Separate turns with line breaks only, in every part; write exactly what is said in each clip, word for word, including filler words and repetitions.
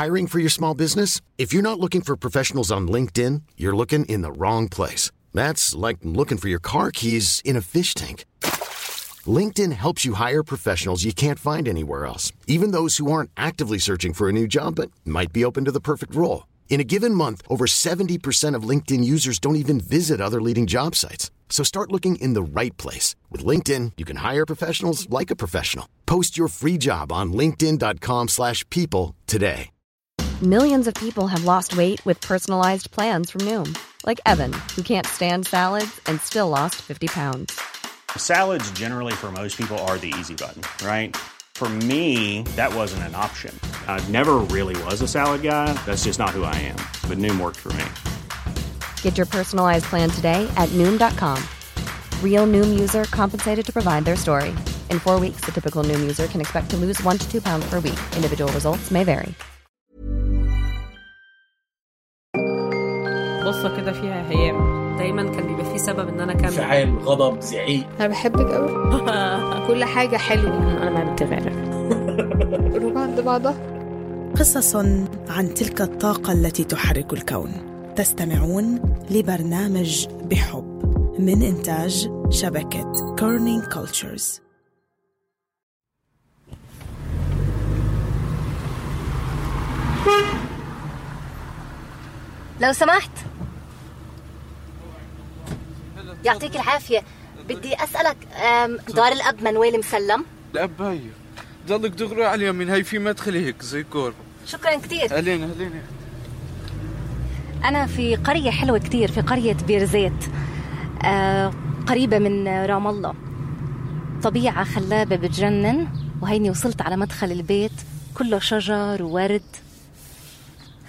Hiring for your small business? If you're not looking for professionals on LinkedIn, you're looking in the wrong place. That's like looking for your car keys in a fish tank. LinkedIn helps you hire professionals you can't find anywhere else, even those who aren't actively searching for a new job but might be open to the perfect role. In a given month, over seventy percent of LinkedIn users don't even visit other leading job sites. So start looking in the right place. With LinkedIn, you can hire professionals like a professional. Post your free job on linkedin dot com slash people today.
Millions of people have lost weight with personalized plans from Noom. Like Evan, who can't stand salads and still lost fifty pounds.
Salads generally for most people are the easy button, right? For me, that wasn't an option. I never really was a salad guy. That's just not who I am. But Noom worked for me.
Get your personalized plan today at noom dot com. Real Noom user compensated to provide their story. In four weeks, the typical Noom user can expect to lose one to two pounds per week. Individual results may vary.
قصة كده فيها هيام. دايما كان بيبقى فيه سبب ان انا كان
انفعال، غضب، زعيق.
انا بحبك قوي. كل حاجة حلوة.
انا ما بتغير.
روح عند بعضها.
قصص عن تلك الطاقة التي تحرك الكون. تستمعون لبرنامج بحب من إنتاج شبكة كورنينج كولتشرز.
لو سمحت، يعطيك العافية، بدي أسألك دار الأب منويل مسلم؟
الأب هاي ضلك دغري على اليمين، هاي في مدخل هيك زي كور.
شكرا كتير.
أهلين أهلين.
أنا في قرية حلوة كتير، في قرية بيرزيت، آه قريبة من رام الله. طبيعة خلابة بتجنن، وهيني وصلت على مدخل البيت كله شجر وورد.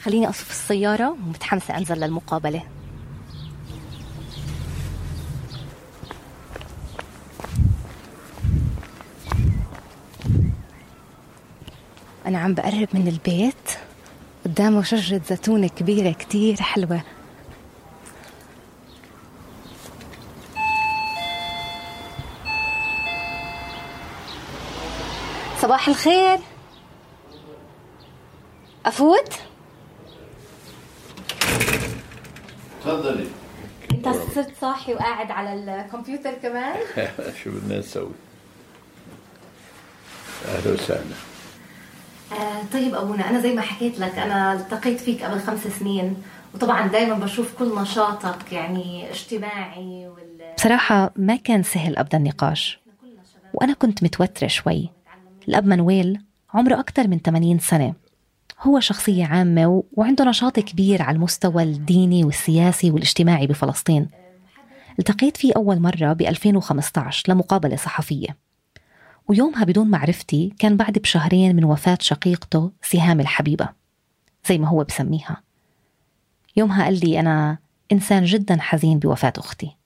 خليني أصف السيارة ومتحمسة أنزل للمقابلة. أنا عم بقرب من البيت، قدامه شجرة زيتون كبيرة كتير حلوة. صباح الخير، أفوت؟
تفضلي.
أنت صرت صاحي وقاعد على الكمبيوتر كمان؟
شو بدنا نسوي؟ أهلا وسهلا.
آه طيب أبونا، أنا زي ما حكيت لك أنا التقيت فيك قبل خمس سنين، وطبعا دايما بشوف كل نشاطك يعني اجتماعي وال...
بصراحة ما كان سهل أبدأ النقاش، وأنا كنت متوترة شوي. الأب منويل عمره أكتر من ثمانين سنة، هو شخصية عامة و... وعنده نشاط كبير على المستوى الديني والسياسي والاجتماعي بفلسطين. التقيت فيه أول مرة ب ألفين وخمسة عشر لمقابلة صحفية، ويومها بدون معرفتي كان بعد بشهرين من وفاة شقيقته سهام الحبيبة زي ما هو بسميها. يومها قال لي أنا إنسان جدا حزين بوفاة أختي،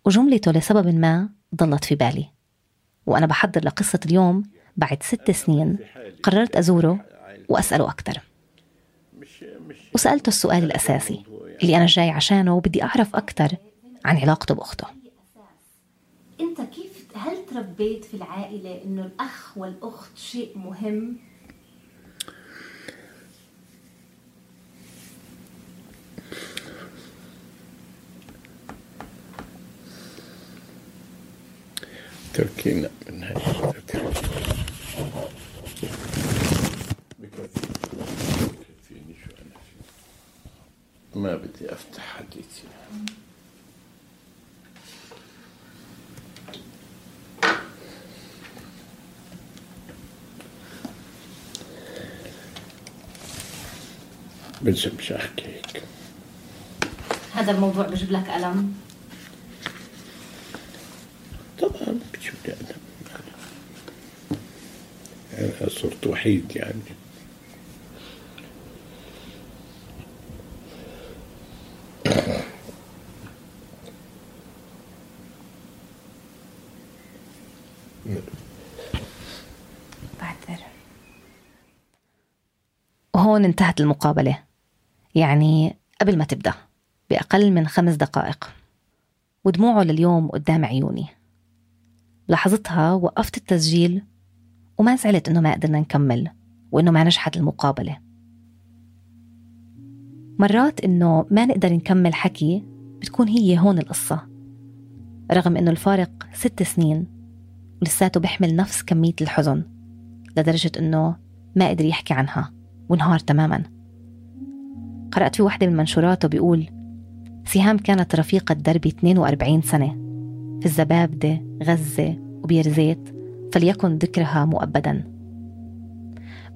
وجملته لسبب ما ضلت في بالي. وأنا بحضر لقصة اليوم بعد ست سنين قررت أزوره وأسأله أكتر، وسألته السؤال الأساسي اللي أنا جاي عشانه، وبدي أعرف أكتر عن علاقته بأخته.
أنت كيف هل تربيت في العائلة إنه الأخ والأخت شيء مهم؟
تركينا من هاي بكفيني شو أنا فيه، ما بدي أفتح حديثي. بلزمش أحكي هيك.
هذا الموضوع بجيب لك ألم؟
طبعا بجيب لي ألم، أنا صرت وحيد يعني.
بعتذر. وهون انتهت المقابلة، يعني قبل ما تبدأ بأقل من خمس دقائق، ودموعه لليوم قدام عيوني. لحظتها وقفت التسجيل وما زعلت إنه ما قدرنا نكمل، وإنه ما نجحت المقابلة. مرات إنه ما نقدر نكمل حكي بتكون هي هون القصة، رغم إنه الفارق ست سنين ولساته بيحمل نفس كمية الحزن، لدرجة إنه ما قدر يحكي عنها وانهار تماما. قرأت في واحدة من منشوراته بيقول: سهام كانت رفيقة دربي اثنين وأربعين سنة في الزبابدة، غزة وبيرزيت، فليكن ذكرها مؤبدا.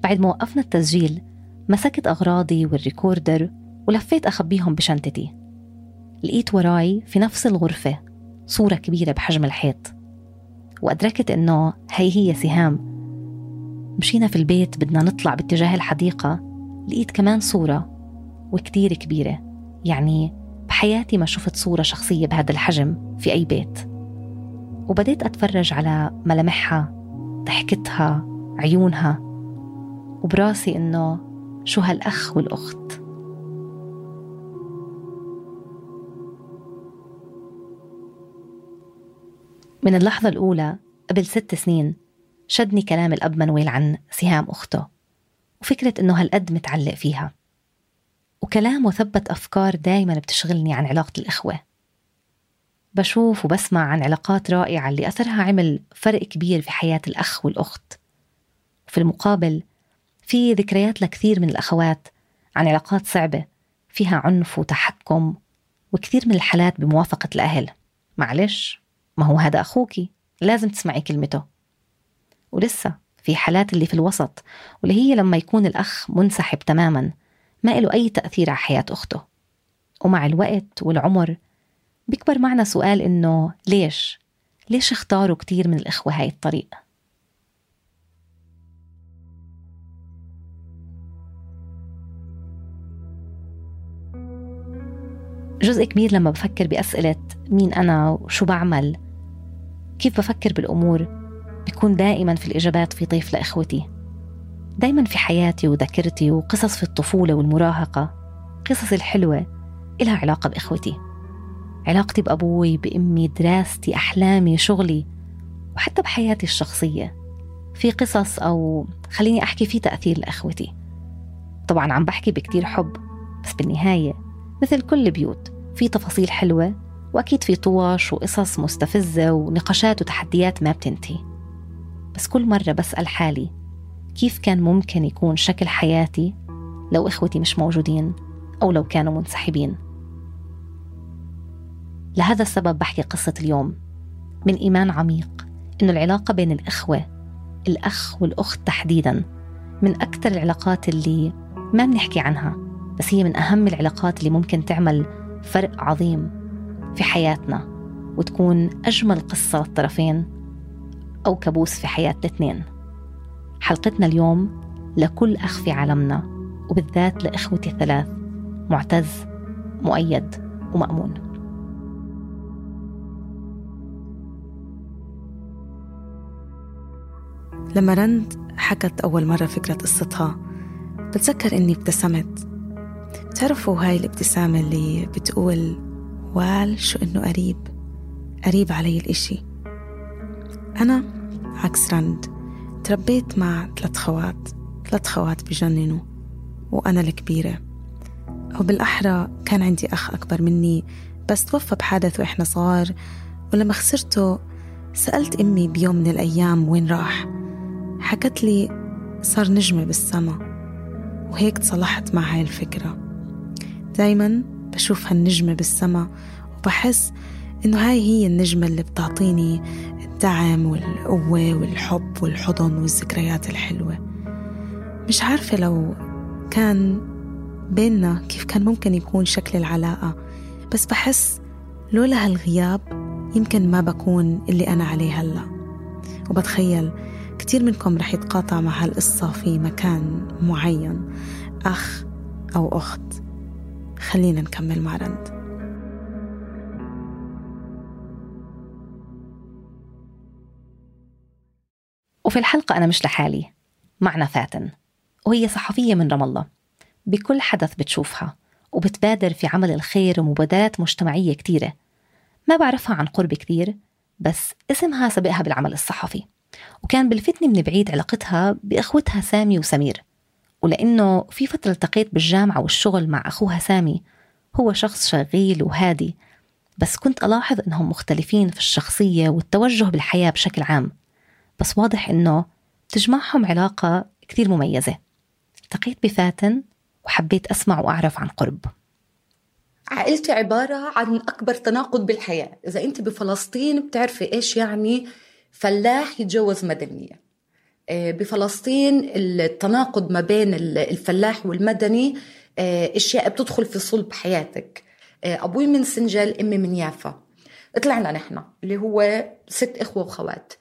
بعد ما وقفنا التسجيل مسكت أغراضي والريكوردر ولفيت أخبيهم بشنطتي. لقيت وراي في نفس الغرفة صورة كبيرة بحجم الحيط، وأدركت إنه هي هي سهام. مشينا في البيت بدنا نطلع باتجاه الحديقة، لقيت كمان صورة وكتير كبيرة، يعني بحياتي ما شفت صورة شخصية بهذا الحجم في أي بيت. وبديت أتفرج على ملامحها، ضحكتها، عيونها، وبراسي إنه شو هالأخ والأخت. من اللحظة الأولى قبل ست سنين شدني كلام الأب منويل عن سهام أخته، وفكرة إنه هالقد متعلق فيها، وكلامه ثبت أفكار دايما بتشغلني عن علاقة الإخوة. بشوف وبسمع عن علاقات رائعة اللي أثرها عمل فرق كبير في حياة الأخ والأخت. وفي المقابل في ذكريات لكثير من الأخوات عن علاقات صعبة فيها عنف وتحكم، وكثير من الحالات بموافقة الأهل. معلش، ما هو هذا أخوكي، لازم تسمعي كلمته. ولسه في حالات اللي في الوسط، واللي هي لما يكون الأخ منسحب تماما، ما له أي تأثير على حياة أخته. ومع الوقت والعمر بيكبر معنا سؤال إنه ليش؟ ليش اختاروا كتير من الإخوة هاي الطريق؟ جزء كبير لما بفكر بأسئلة مين أنا وشو بعمل، كيف بفكر بالأمور، بيكون دائما في الإجابات في طيف لإخوتي. دايما في حياتي وذاكرتي وقصص في الطفولة والمراهقة، قصص الحلوة إلها علاقة بإخوتي. علاقتي بأبوي، بأمي، دراستي، أحلامي، شغلي، وحتى بحياتي الشخصية في قصص، أو خليني أحكي في تأثير لإخوتي. طبعا عم بحكي بكتير حب، بس بالنهاية مثل كل بيوت في تفاصيل حلوة، وأكيد في طواش وقصص مستفزة ونقاشات وتحديات ما بتنتهي. بس كل مرة بسأل حالي كيف كان ممكن يكون شكل حياتي لو إخوتي مش موجودين أو لو كانوا منسحبين. لهذا السبب بحكي قصة اليوم من إيمان عميق إنه العلاقة بين الإخوة، الأخ والأخت تحديداً، من أكثر العلاقات اللي ما بنحكي عنها، بس هي من أهم العلاقات اللي ممكن تعمل فرق عظيم في حياتنا، وتكون أجمل قصة للطرفين أو كابوس في حياة الاثنين. حلقتنا اليوم لكل أخ في عالمنا، وبالذات لإخوتي الثلاث، معتز، مؤيد ومأمون.
لما رند حكت أول مرة فكرة قصتها بتذكر إني ابتسمت. بتعرفوا هاي الابتسامة اللي بتقول وال شو إنه قريب قريب علي الإشي. أنا عكس رند تربيت مع ثلاث خوات ثلاث خوات بجننوا، وأنا الكبيرة، أو بالأحرى كان عندي أخ أكبر مني بس توفى بحادث وإحنا صغار، ولما خسرته سألت أمي بيوم من الأيام وين راح. حكت لي صار نجمة بالسما، وهيك تصلحت مع هاي الفكرة. دايما بشوف هالنجمة بالسما وبحس إنه هاي هي النجمة اللي بتعطيني الدعم والقوة والحب والحضن والذكريات الحلوة. مش عارفة لو كان بيننا كيف كان ممكن يكون شكل العلاقة، بس بحس لولا هالغياب يمكن ما بكون اللي أنا عليه هلأ. وبتخيل كتير منكم رح يتقاطع مع هالقصة في مكان معين، أخ أو أخت. خلينا نكمل مع رند.
وفي الحلقة أنا مش لحالي، معنا فاتن، وهي صحفية من رام الله. بكل حدث بتشوفها وبتبادر في عمل الخير ومبادرات مجتمعية كتيرة. ما بعرفها عن قرب كتير، بس اسمها سبقها بالعمل الصحفي، وكان بلفتني من بعيد علاقتها بإخوتها سامي وسمير ولأنه في فترة التقيت بالجامعة والشغل مع أخوها سامي، هو شخص شغيل وهادي، بس كنت ألاحظ أنهم مختلفين في الشخصية والتوجه بالحياة بشكل عام، بس واضح أنه تجمعهم علاقة كتير مميزة. التقيت بفاتن وحبيت أسمع وأعرف عن قرب.
عائلتي عبارة عن أكبر تناقض بالحياة. إذا أنت بفلسطين بتعرفي إيش يعني فلاح يتجوز مدنية. بفلسطين التناقض ما بين الفلاح والمدني أشياء بتدخل في صلب حياتك. أبوي من سنجل، أمي من يافا. طلعنا نحن اللي هو ست إخوة وخوات.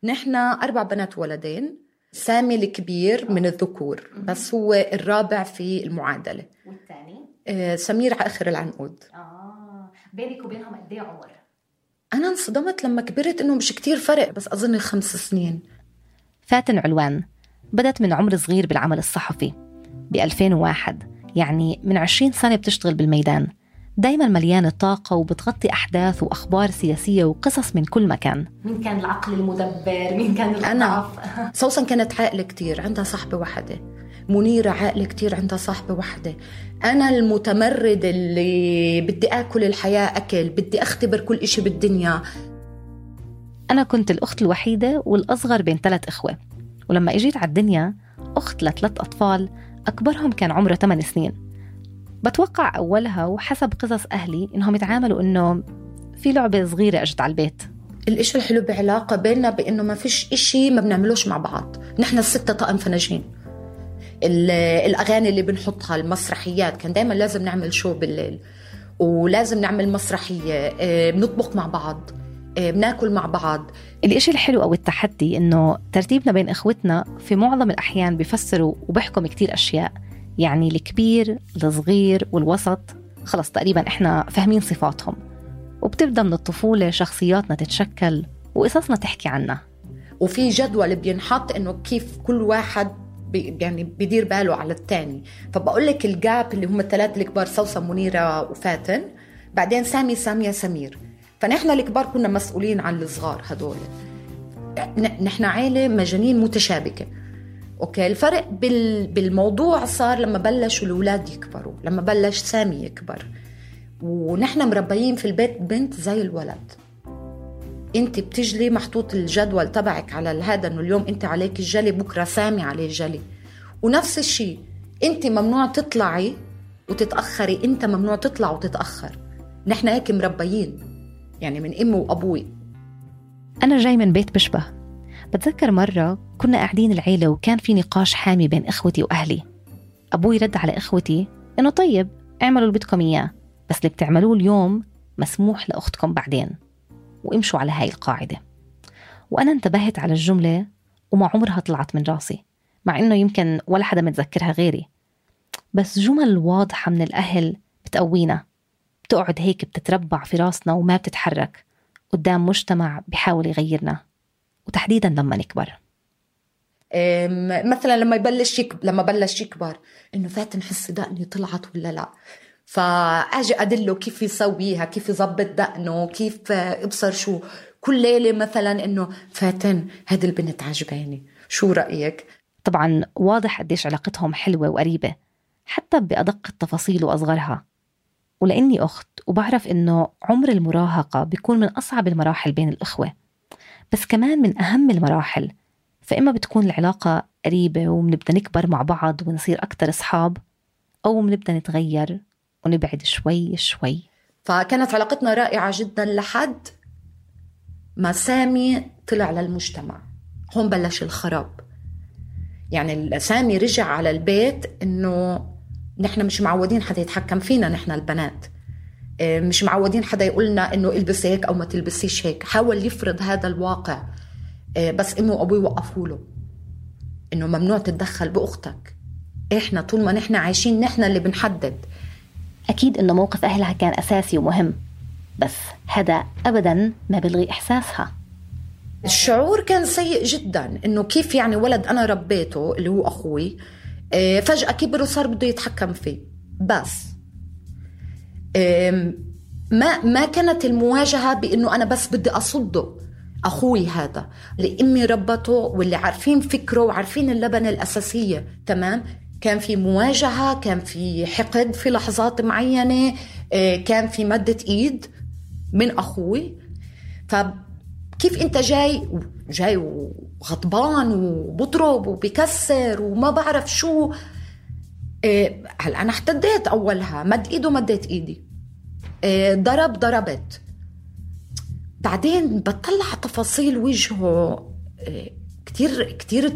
نحن أربع بنات ولدين. سامي الكبير من الذكور بس هو الرابع في المعادلة.
والثاني؟
آه سمير على آخر العنقود.
آه بينك وبينهم قد ايه عمر؟
أنا انصدمت لما كبرت إنه مش كتير فرق، بس أظن خمس سنين.
فاتن علوان بدت من عمر صغير بالعمل الصحفي ب ألفين وواحد، يعني من عشرين سنة بتشتغل بالميدان، دايما مليانة طاقة وبتغطي أحداث وأخبار سياسية وقصص من كل مكان.
مين كان العقل المدبر؟ مين كان الضعف؟
أنا سوسن كانت عاقلة كتير، عندها صاحبة واحدة. منيرة عاقلة كتير، عندها صاحبة واحدة. أنا المتمرد اللي بدي أكل الحياة أكل، بدي أختبر كل إشي بالدنيا.
أنا كنت الأخت الوحيدة والأصغر بين ثلاث إخوة، ولما إجيت على الدنيا أخت لثلاث أطفال أكبرهم كان عمره ثمان سنين. بتوقع أولها وحسب قصص أهلي إنهم يتعاملوا إنه في لعبة صغيرة أجت على البيت.
الإشي الحلو بعلاقة بيننا بإنه ما فيش إشي ما بنعملوش مع بعض. نحن الستة طقم فناجين. الأغاني اللي بنحطها، المسرحيات، كان دايما لازم نعمل شو بالليل ولازم نعمل مسرحية. بنطبخ مع بعض، بناكل مع بعض.
الإشي الحلو أو التحدي إنه ترتيبنا بين إخوتنا في معظم الأحيان بيفسروا وبيحكم كتير أشياء. يعني الكبير الصغير والوسط خلص تقريبا إحنا فاهمين صفاتهم، وبتبدأ من الطفولة شخصياتنا تتشكل وقصصنا تحكي عنها.
وفي جدول بينحط إنه كيف كل واحد بي يعني بيدير باله على التاني. فبقول لك الجاب اللي هم الثلاثة الكبار، سوسن منيرة وفاتن، بعدين سامي سامية سمير. فنحن الكبار كنا مسؤولين عن الصغار هدول. نحن عائلة مجانين متشابكة. أوكي، الفرق بالموضوع صار لما بلشوا الأولاد يكبروا، لما بلش سامي يكبر، ونحن مربيين في البيت بنت زي الولد. انت بتجلي محطوط الجدول تبعك على هذا، انه اليوم انت عليك الجلي، بكرة سامي عليه الجلي. ونفس الشيء انت ممنوع تطلعي وتتأخري، انت ممنوع تطلع وتتأخر. نحن هيك مربيين، يعني من امي وابوي.
انا جاي من بيت بشبه. بتذكر مرة كنا قاعدين العيلة وكان في نقاش حامي بين إخوتي وأهلي. أبوي رد على إخوتي إنه طيب اعملوا اللي بدكم إياه، بس اللي بتعملوه اليوم مسموح لأختكم بعدين، وامشوا على هاي القاعدة. وأنا انتبهت على الجملة وما عمرها طلعت من راسي، مع إنه يمكن ولا حدا متذكرها غيري، بس جمل واضحة من الأهل بتقوينا، بتقعد هيك بتتربع في راسنا وما بتتحرك قدام مجتمع بيحاول يغيرنا، وتحديدا لما نكبر.
مثلا لما يبلش يكبر، لما بلش يكبر انه فاتن حس دقني طلعت ولا لا، فاجي ادله كيف يسويها، كيف يظبط دقنه، كيف ابصر شو كل ليله مثلا انه فاتن هذه البنت عجباني، شو رايك؟
طبعا واضح قديش علاقتهم حلوه وقريبه حتى بادق التفاصيل واصغرها. ولاني اخت وبعرف انه عمر المراهقه بيكون من اصعب المراحل بين الاخوه، بس كمان من أهم المراحل. فإما بتكون العلاقة قريبة وبنبدأ نكبر مع بعض ونصير أكتر أصحاب، أو بنبدأ نتغير ونبعد شوي شوي.
فكانت علاقتنا رائعة جدا لحد ما سامي طلع للمجتمع. هون بلش الخراب. يعني سامي رجع على البيت إنه نحن مش معودين حدا يتحكم فينا، نحن البنات مش معودين حدا يقولنا إنه البس هيك أو ما تلبسيش هيك. حاول يفرض هذا الواقع، بس أمي وأبوي وقفوا له إنه ممنوع تتدخل بأختك، إحنا طول ما نحن عايشين نحن اللي بنحدد.
أكيد إنه موقف أهلها كان أساسي ومهم، بس هذا أبداً ما بلغي إحساسها.
الشعور كان سيء جدا، إنه كيف يعني ولد أنا ربيته اللي هو أخوي فجأة كبر وصار بده يتحكم فيه. بس ما ما كانت المواجهة بإنه أنا بس بدي أصده أخوي هذا اللي أمي ربته واللي عارفين فكره وعارفين اللبنة الأساسية. تمام. كان في مواجهة، كان في حقد في لحظات معينة، كان في مدة إيد من أخوي. فكيف أنت جاي جاي وغضبان وبضرب وبكسر وما بعرف شو. هل أنا احتديت أولها، مد إيده مدت إيدي، ضرب ضربت. بعدين بطلع تفاصيل وجهه، كتير كتير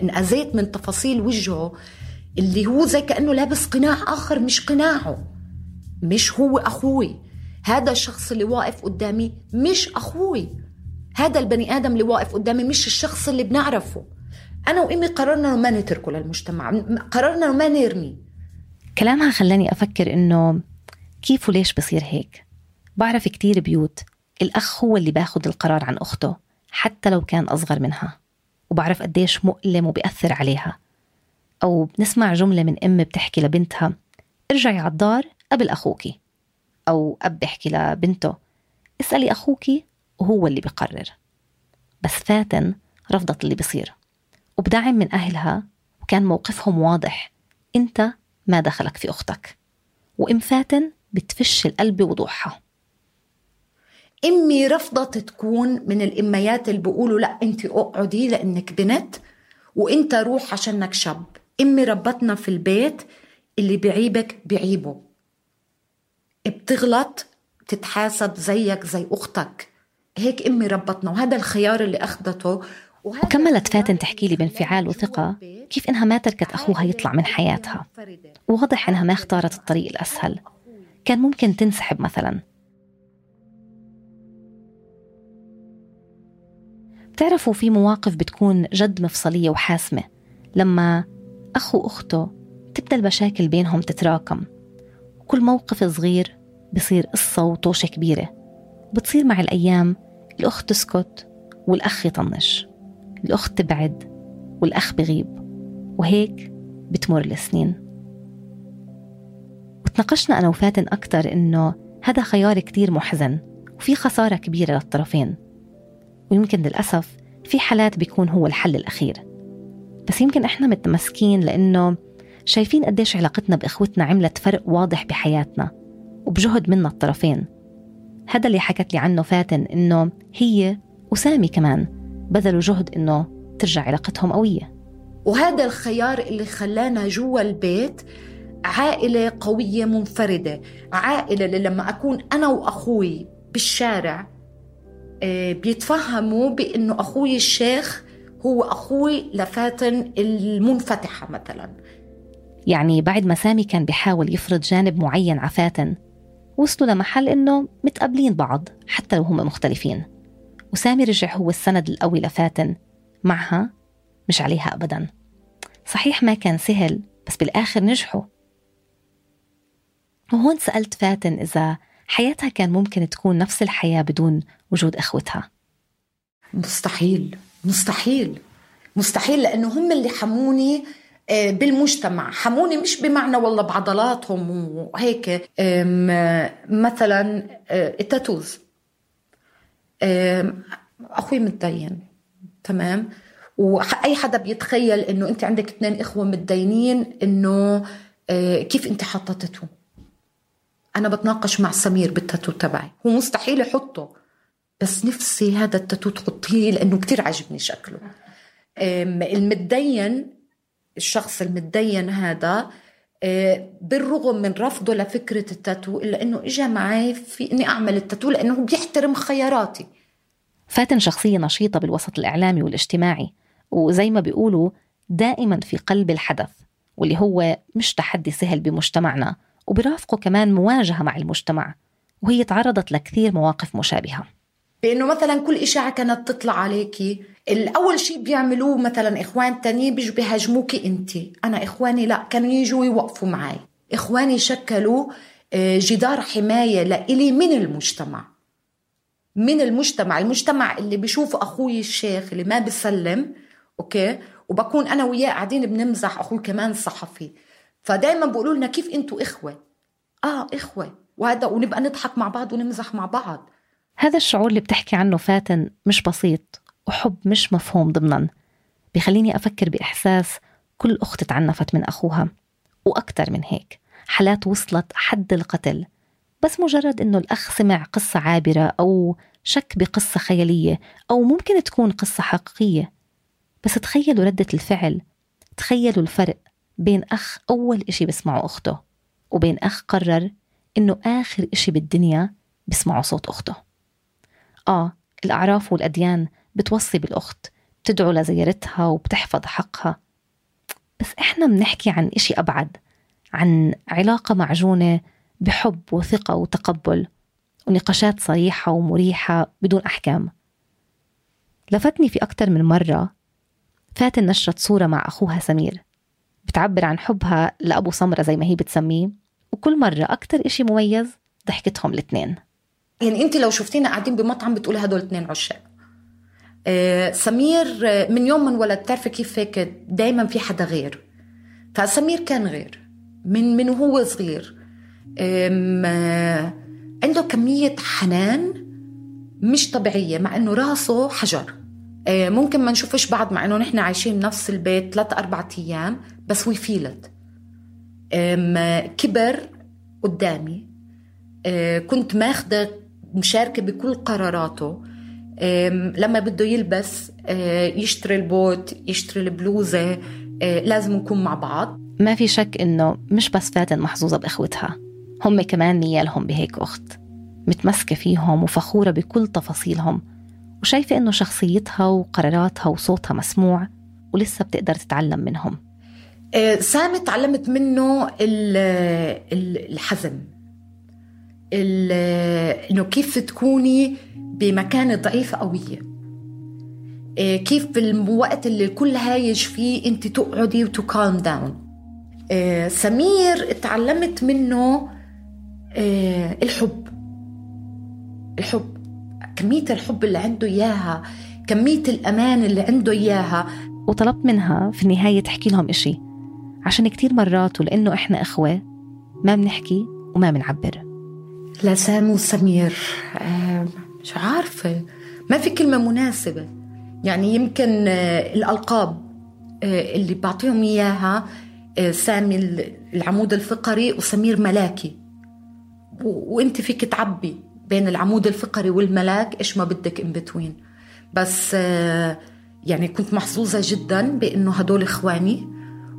انأذيت من تفاصيل وجهه اللي هو زي كأنه لابس قناع آخر مش قناعه، مش هو أخوي. هذا الشخص اللي واقف قدامي مش أخوي، هذا البني آدم اللي واقف قدامي مش الشخص اللي بنعرفه. أنا وإمي قررنا ما نتركه للمجتمع، قررنا ما نرمي.
كلامها خلاني أفكر إنه كيف وليش بصير هيك. بعرف كتير بيوت الأخ هو اللي باخد القرار عن أخته حتى لو كان أصغر منها، وبعرف قديش مؤلم وبيأثر عليها. أو بنسمع جملة من أم بتحكي لبنتها ارجعي على الدار قبل أخوكي، أو أب بيحكي لبنته اسألي أخوكي وهو اللي بيقرر. بس فاتن رفضت اللي بيصير وبدعم من أهلها، وكان موقفهم واضح، أنت ما دخلك في أختك. وإم فاتن بتفش القلب وضوحها.
أمي رفضت تكون من الإميات اللي بيقولوا لا أنت أقعدي لأنك بنت وأنت روح عشانك شاب. أمي ربتنا في البيت اللي بعيبك بعيبه، بتغلط تتحاسب زيك زي أختك. هيك أمي ربتنا، وهذا الخيار اللي أخذته.
وكملت فاتن تحكي لي بانفعال وثقة كيف إنها ما تركت أخوها يطلع من حياتها، وواضح إنها ما اختارت الطريق الأسهل. كان ممكن تنسحب مثلا. بتعرفوا في مواقف بتكون جد مفصلية وحاسمة، لما أخو وأخته تبدأ المشاكل بينهم تتراكم، وكل موقف صغير بصير قصة وطوشة كبيرة. بتصير مع الأيام الأخت تسكت والأخ يطنش، الأخت تبعد والأخ بغيب، وهيك بتمر السنين. وتناقشنا أنا وفاتن أكتر إنه هذا خيار كتير محزن وفي خسارة كبيرة للطرفين، ويمكن للأسف في حالات بيكون هو الحل الأخير. بس يمكن إحنا متمسكين لأنه شايفين قديش علاقتنا بإخوتنا عملت فرق واضح بحياتنا وبجهد منا الطرفين. هذا اللي حكت لي عنه فاتن، إنه هي وسامي كمان بذلوا جهد إنه ترجع علاقتهم قوية.
وهذا الخيار اللي خلانا جوا البيت عائلة قوية منفردة، عائلة اللي لما أكون أنا وأخوي بالشارع بيتفهموا بأنه أخوي الشيخ هو أخوي لفاتن المنفتحة مثلا.
يعني بعد ما سامي كان بيحاول يفرض جانب معين على فاتن، وصلوا لمحل إنه متقابلين بعض حتى لو هم مختلفين، وسامي رجع هو السند القوي لفاتن معها مش عليها أبدا. صحيح ما كان سهل، بس بالآخر نجحوا. وهون سألت فاتن إذا حياتها كان ممكن تكون نفس الحياة بدون وجود أخوتها.
مستحيل مستحيل مستحيل، لأنه هم اللي حموني بالمجتمع. حموني مش بمعنى والله بعضلاتهم وهيك، مثلا التاتوز. أخوي متدين، تمام، وأي حدا بيتخيل إنه أنت عندك اثنين إخوة متدينين إنه كيف أنت حطتته. أنا بتناقش مع سمير بالتاتو تبعي، هو مستحيل يحطه، بس نفسي هذا التاتو تحطيه لأنه كتير عجبني شكله. المتدين، الشخص المتدين هذا بالرغم من رفضه لفكرة التاتو إلا أنه إجا معي في أني أعمل التاتو لأنه بيحترم خياراتي.
فاتن شخصية نشيطة بالوسط الإعلامي والاجتماعي، وزي ما بيقولوا دائما في قلب الحدث، واللي هو مش تحدي سهل بمجتمعنا، وبرافقه كمان مواجهة مع المجتمع، وهي تعرضت لكثير مواقف مشابهة.
بأنه مثلا كل إشاعة كانت تطلع عليكي، الأول شيء بيعملوه مثلا إخوان تاني بيجوا بيهاجموكي أنتي. أنا إخواني لا، كانوا يجوا يوقفوا معي. إخواني شكلوا جدار حماية لإلي من المجتمع، من المجتمع المجتمع اللي بيشوف أخوي الشيخ اللي ما بيسلم، أوكي، وبكون أنا وياه قاعدين بنمزح، أخوي كمان صحفي، فدايما بيقولوا لنا كيف أنتوا إخوة. آه إخوة، وهذا، ونبقى نضحك مع بعض ونمزح مع بعض.
هذا الشعور اللي بتحكي عنه فاتن مش بسيط وحب مش مفهوم ضمناً. بيخليني أفكر بإحساس كل أخت تعنفت من أخوها، وأكتر من هيك حالات وصلت حد القتل بس مجرد إنه الأخ سمع قصة عابرة أو شك بقصة خيالية أو ممكن تكون قصة حقيقية. بس تخيلوا ردة الفعل، تخيلوا الفرق بين أخ أول إشي بسمعه أخته وبين أخ قرر إنه آخر إشي بالدنيا بسمعه صوت أخته. آه الأعراف والأديان بتوصي بالأخت، بتدعو لزيارتها وبتحفظ حقها، بس إحنا بنحكي عن إشي أبعد، عن علاقة معجونة بحب وثقة وتقبل ونقاشات صريحة ومريحة بدون أحكام. لفتني في أكتر من مرة فاتن نشرت صورة مع أخوها سمير بتعبر عن حبها لأبو سمرة زي ما هي بتسميه، وكل مرة أكتر إشي مميز ضحكتهم الاثنين.
يعني أنت لو شفتينا قاعدين بمطعم بتقولي هدول اثنين عشاق. آه سمير من يوم من ولد تعرفي كيف هيك دايما في حدا غير، فسمير كان غير من من وهو صغير. آه عنده كمية حنان مش طبيعية مع إنه راسه حجر. آه ممكن ما نشوفش بعض مع إنه نحن عايشين بنفس البيت ثلاث أربعة أيام، بس ويفيلت. آه كبر قدامي، آه كنت ماخدة مشاركة بكل قراراته. لما بده يلبس يشتري البوت يشتري البلوزة، لازم نكون مع بعض.
ما في شك إنه مش بس فاتن محظوظة بإخوتها، هم كمان نيالهم بهيك أخت متمسكة فيهم وفخورة بكل تفاصيلهم، وشايفة إنه شخصيتها وقراراتها وصوتها مسموع ولسه بتقدر تتعلم منهم.
سامي تعلمت منه الحزم، إنه كيف تكوني بمكان ضعيفة قوية، كيف بالوقت اللي الكل هايج فيه انت تقعدي وتو كالم داون. سمير تعلمت منه الحب، الحب كمية الحب اللي عنده إياها، كمية الأمان اللي عنده إياها.
وطلبت منها في النهاية تحكي لهم إشي، عشان كتير مرات ولأنه إحنا إخوة ما بنحكي وما بنعبر.
لا سامي وسمير مش عارفة، ما في كلمة مناسبة. يعني يمكن الألقاب اللي بعطيهم إياها، سامي العمود الفقري وسمير ملاكي، وانت فيك تعبي بين العمود الفقري والملاك إيش ما بدك in between. بس يعني كنت محظوظة جدا بأنه هدول إخواني،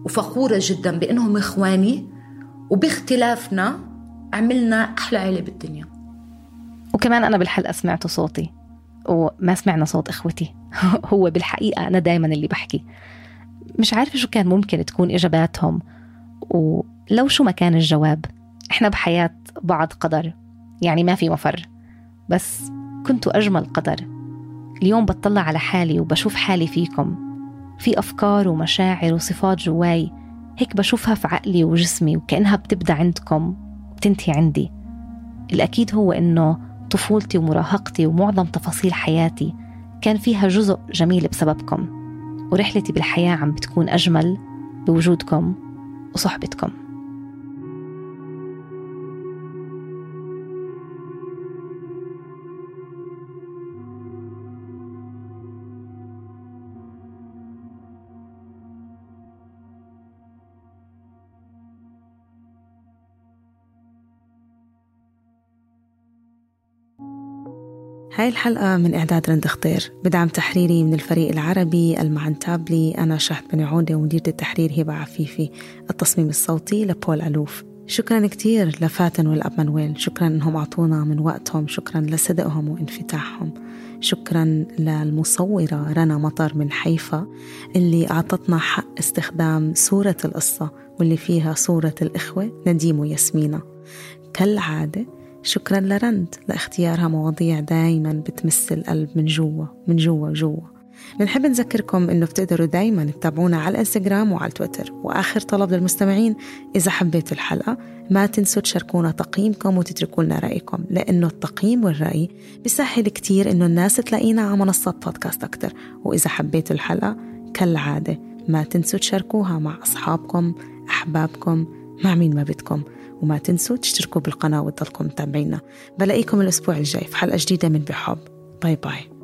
وفخورة جدا بأنهم إخواني، وباختلافنا عملنا أحلى عيلة بالدنيا.
وكمان أنا بالحلقة سمعت صوتي وما سمعنا صوت إخوتي. هو بالحقيقة أنا دايما اللي بحكي، مش عارفة شو كان ممكن تكون إجاباتهم، ولو شو ما كان الجواب إحنا بحياة بعض قدر، يعني ما في مفر. بس كنتوا أجمل قدر. اليوم بتطلع على حالي وبشوف حالي فيكم، في أفكار ومشاعر وصفات جواي هيك بشوفها في عقلي وجسمي، وكأنها بتبدأ عندكم وبتنتهي عندي. الأكيد هو إنه طفولتي ومراهقتي ومعظم تفاصيل حياتي كان فيها جزء جميل بسببكم، ورحلتي بالحياة عم بتكون أجمل بوجودكم وصحبتكم.
هاي الحلقة من إعداد رند خضير بدعم تحريري من الفريق العربي المعنتابلي. أنا شهد بني عودة ومديرة التحرير هبة عفيفي، التصميم الصوتي لبول ألوف. شكرا كتير لفاتن والأب منويل، شكرا أنهم عطونا من وقتهم، شكرا لصدقهم وانفتاحهم، شكرا للمصورة رنا مطر من حيفا اللي أعطتنا حق استخدام صورة القصة واللي فيها صورة الإخوة نديم وياسمينة. كالعادة شكرا لرند لاختيارها مواضيع دايما بتمس القلب من جوا من جوا جوا. بنحب نذكركم انه بتقدروا دايما تتابعونا على الانستغرام وعلى تويتر. واخر طلب للمستمعين، اذا حبيتوا الحلقة ما تنسوا تشاركونا تقييمكم وتتركوا لنا رأيكم، لانه التقييم والرأي بيسهل كتير انه الناس تلاقينا على منصات بودكاست اكتر. واذا حبيتوا الحلقة كالعادة ما تنسوا تشاركوها مع اصحابكم، احبابكم، مع مين ما بدكم. وما تنسوا تشتركوا بالقناة وتضلكم متابعينا. بلاقيكم الأسبوع الجاي في حلقة جديدة من بحب. باي باي.